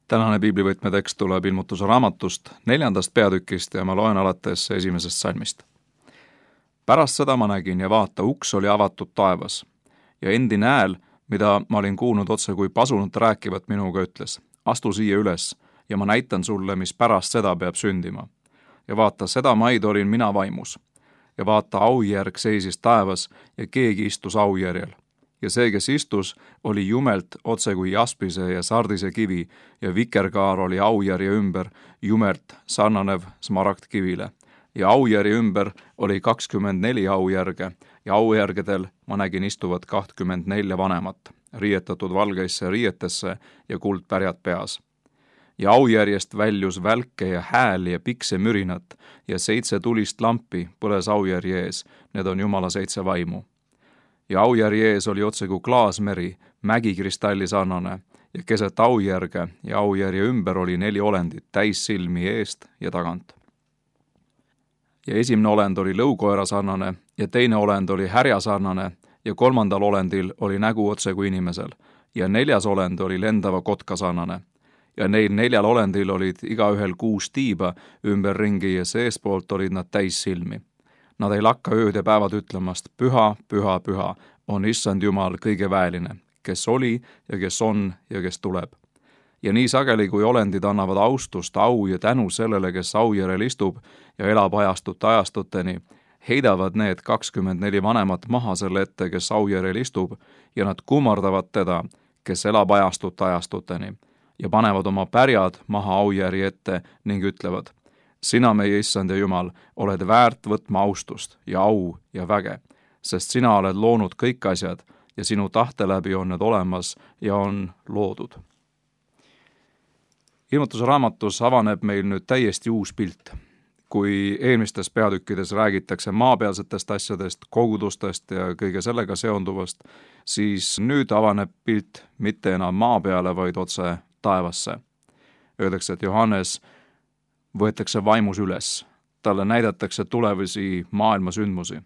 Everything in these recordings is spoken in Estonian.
Tänane piiblivõtme tekst tuleb Ilmutuse raamatust 4. peatükist ja ma loen alates 1. salmist. Pärast seda ma nägin ja vaata, uks oli avatud taevas ja endine hääl, mida ma olin kuulnud otse kui pasunut rääkivat minuga, ütles: astu siia üles ja ma näitan sulle, mis pärast seda peab sündima. Ja vaata, seda maid olin mina vaimus. Ja vaata, aujärg seisis taevas ja keegi istus aujärjel. Ja see, kes istus, oli jumelt otse kui jaspise ja sardise kivi ja vikerkaar oli aujärje ümber jumelt sarnanev smaragdkivile. Ja aujärje ümber oli 24 aujärge ja aujärgedel ma nägin istuvat 24 vanemat, riietatud valgeisse riietesse ja kuldpärjad peas. Ja aujärjest väljus välke ja hääl ja piksemürinat ja 7 tulist lampi põles aujärje ees, need on Jumala 7 vaimu. Ja aujärje ees oli otse kui klaasmeri, mägikristalli sarnane ja keset aujärge ja aujärje ümber oli 4 olendit, täis silmi eest ja tagant. Ja esimene olend oli lõukoera sarnane ja teine olend oli härja sarnane ja 3. olendil oli nägu otse kui inimesel ja 4. olend oli lendava kotka sarnane. Ja neil 4 olendil olid igaühel 6 tiiba ümberringi ja seespoolt olid nad täis silmi. Nad ei lakka ööd ja päevad ütlemast: püha, püha, püha on Issand Jumal kõige väeline, kes oli ja kes on ja kes tuleb. Ja nii sageli, kui olendid annavad austust, au ja tänu sellele, kes aujärel istub ja elab ajastute ajastuteni, heidavad need 24 vanemat maha selle ette, kes aujärel istub, ja nad kummardavad teda, kes elab ajastute ajastuteni, ja panevad oma pärjad maha aujärje ette ning ütlevad: sina, meie Issand ja Jumal, oled väärt võtma austust ja au ja väge, sest sina oled loonud kõik asjad ja sinu tahte läbi on need olemas ja on loodud. Ilmutuse raamatus avaneb meil nüüd täiesti uus pilt. Kui eelmistes peatükkides räägitakse maapealsetest asjadest, kogudustest ja kõige sellega seonduvast, siis nüüd avaneb pilt mitte enam maa peale, vaid otse taevasse. Öeldakse, et Johannes võetakse vaimus üles. Talle näidatakse tulevasi maailmasündmusi.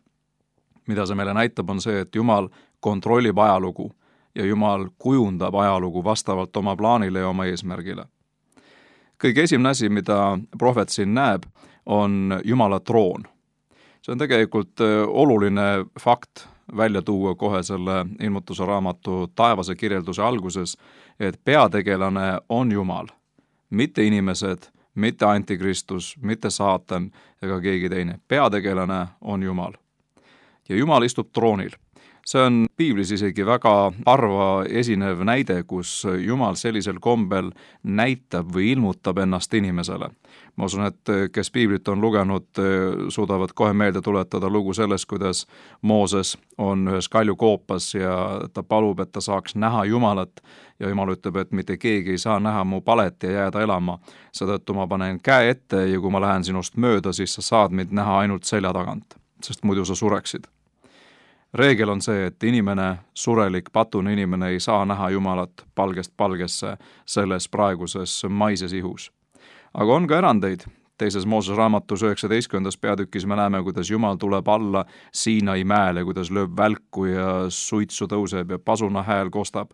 Mida see meile näitab, on see, et Jumal kontrollib ajalugu ja Jumal kujundab ajalugu vastavalt oma plaanile ja oma eesmärgile. Kõige esimene asi, mida prohvet siin näeb, on Jumala troon. See on tegelikult oluline fakt välja tuua kohe selle Ilmutuse raamatu taevase kirjelduse alguses, et peategelane on Jumal, mitte inimesed, mitte antikristus, mitte saatan ega keegi teine. Peategelane on Jumal. Ja Jumal istub troonil. See on piiblis isegi väga harva esinev näide, kus Jumal sellisel kombel näitab või ilmutab ennast inimesele. Ma usun, et kes piiblit on lugenud, suudavad kohe meelde tuletada lugu sellest, kuidas Mooses on ühes kaljukoopas ja ta palub, et ta saaks näha Jumalat ja Jumal ütleb, et mitte keegi ei saa näha mu palet ja jääda elama. Seetõttu ma panen käe ette ja kui ma lähen sinust mööda, siis sa saad mind näha ainult selja tagant, sest muidu sa sureksid. Reegel on see, et inimene, surelik, patune inimene ei saa näha Jumalat palgest palgesse selles praeguses maises ihus. Aga on ka erandeid. 2. Moosese raamatus 19. peatükis me näeme, kuidas Jumal tuleb alla Siinai mäele, kuidas lööb välku ja suitsu tõuseb ja pasuna hääl kostab.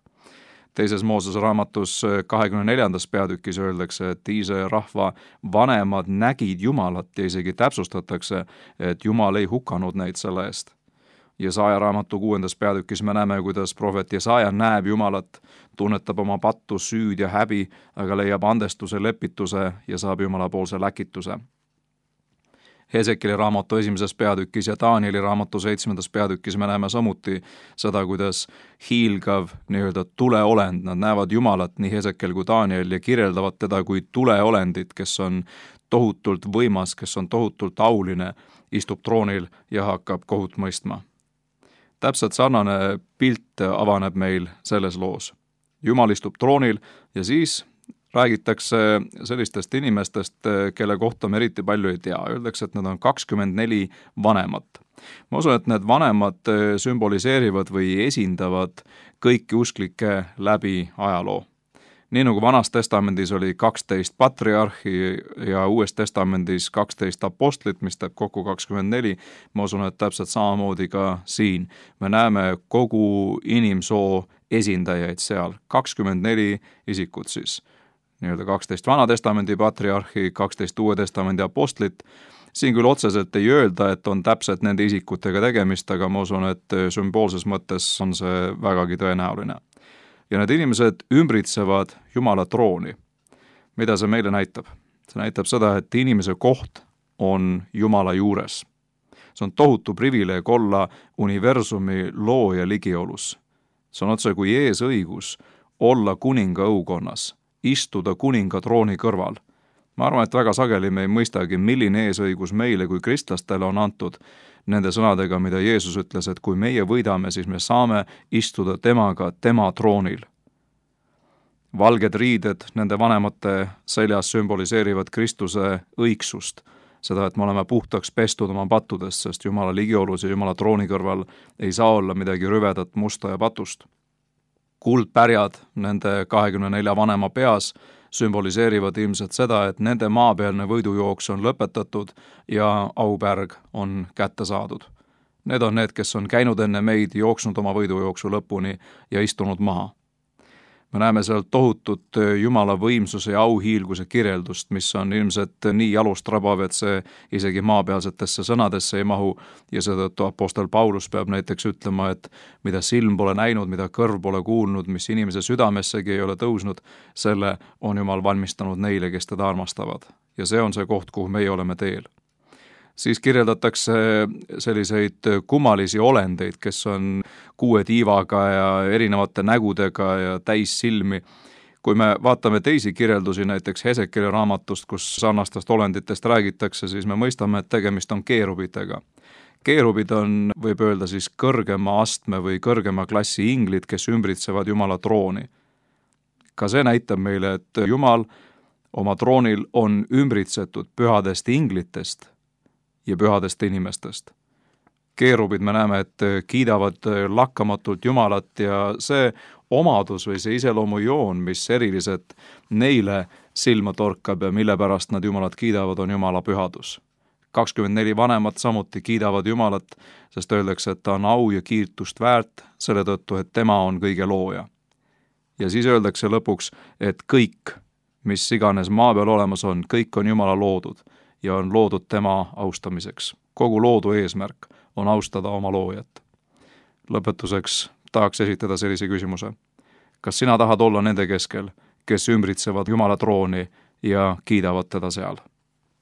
2. Moosese raamatus 24. peatükis öeldakse, et Iisraeli rahva vanemad nägid Jumalat ja isegi täpsustatakse, et Jumal ei hukanud neid selle eest. Jesaja raamatu 6. peatükis me näeme, kuidas prohvet Jesaja näeb Jumalat, tunnetab oma pattu, süüd ja häbi, aga leiab andestuse, lepituse ja saab Jumala poolse läkituse. Hesekieli raamatu 1. peatükis ja Danieli raamatu 7. peatükis me näeme samuti seda, kuidas hiilgav nii-öelda tuleolend, nad näevad Jumalat, nii Hesekiel kui Daniel, ja kirjeldavad teda kui tuleolendit, kes on tohutult võimas, kes on tohutult auline, istub troonil ja hakkab kohut mõistma. Täpselt sarnane pilt avaneb meil selles loos. Jumal istub troonil ja siis räägitakse sellistest inimestest, kelle kohta me eriti palju ei tea. Öeldakse, et need on 24 vanemat. Ma usun, et need vanemad sümboliseerivad või esindavad kõiki usklikke läbi ajaloo. Nii nagu Vanas testamendis oli 12 patriarhi ja Uues testamendis 12 apostlit, mis teeb kokku 24, ma usun, et täpselt samamoodi ka siin. Me näeme kogu inimsoo esindajaid seal, 24 isikut siis. nii-öelda 12 Vana-testamendi patriarhi, 12 Uue testamendi apostlit. Siin küll otseselt ei öelda, et on täpselt nende isikutega tegemist, aga ma usun, et sümboolses mõttes on see vägagi tõenäoline. Ja need inimesed ümbritsevad Jumala trooni. Mida see meile näitab? See näitab seda, et inimese koht on Jumala juures. See on tohutu privileeg olla universumi looja ligiolus. See on otse kui eesõigus olla kuninga õukonnas, istuda kuninga trooni kõrval. Ma arvan, et väga sageli me ei mõistagi, milline eesõigus meile kui kristlastele on antud nende sõnadega, mida Jeesus ütles, et kui meie võidame, siis me saame istuda temaga tema troonil. Valged riided nende vanemate seljas sümboliseerivad Kristuse õigsust, seda, et me oleme puhtaks pestud oma pattudest, sest Jumala ligiolus ja Jumala trooni kõrval ei saa olla midagi rüvedat, musta ja patust. Kuldpärjad nende 24 vanema peas sümboliseerivad ilmselt seda, et nende maapealne võidujooks on lõpetatud ja aupärg on kätte saadud. Need on need, kes on käinud enne meid, jooksnud oma võidujooksu lõpuni ja istunud maha. Me näeme seal tohutut Jumala võimsuse ja auhiilguse kirjeldust, mis on ilmselt nii jalustrabav, et see isegi maapealsetesse sõnadesse ei mahu ja seetõttu apostel Paulus peab näiteks ütlema, et mida silm pole näinud, mida kõrv pole kuulnud, mis inimese südamessegi ei ole tõusnud, selle on Jumal valmistanud neile, kes teda armastavad. Ja see on see koht, kuhu meie oleme teel. Siis kirjeldatakse selliseid kummalisi olendeid, kes on 6 tiivaga ja erinevate nägudega ja täis silmi. Kui me vaatame teisi kirjeldusi, näiteks Hesekieli raamatust, kus sarnastest olenditest räägitakse, siis me mõistame, et tegemist on keerubitega. Keerubid on, võib öelda siis, kõrgema astme või kõrgema klassi inglid, kes ümbritsevad Jumala trooni. Ka see näitab meile, et Jumal oma troonil on ümbritsetud pühadest inglitest ja pühadest inimestest. Keerubid me näeme, et kiidavad lakkamatult Jumalat ja see omadus või see iseloomujoon, mis eriliselt neile silma torkab ja mille pärast nad Jumalat kiidavad, on Jumala pühadus. 24 vanemat samuti kiidavad Jumalat, sest öeldakse, et ta on au ja kiitust väärt selle tõttu, et tema on kõige looja. Ja siis öeldakse lõpuks, et kõik, mis iganes maa peal olemas on, kõik on Jumala loodud ja on loodud tema austamiseks. Kogu loodu eesmärk on austada oma loojat. Lõpetuseks tahaks esitada sellise küsimuse. Kas sina tahad olla nende keskel, kes ümbritsevad Jumala trooni ja kiidavad teda seal?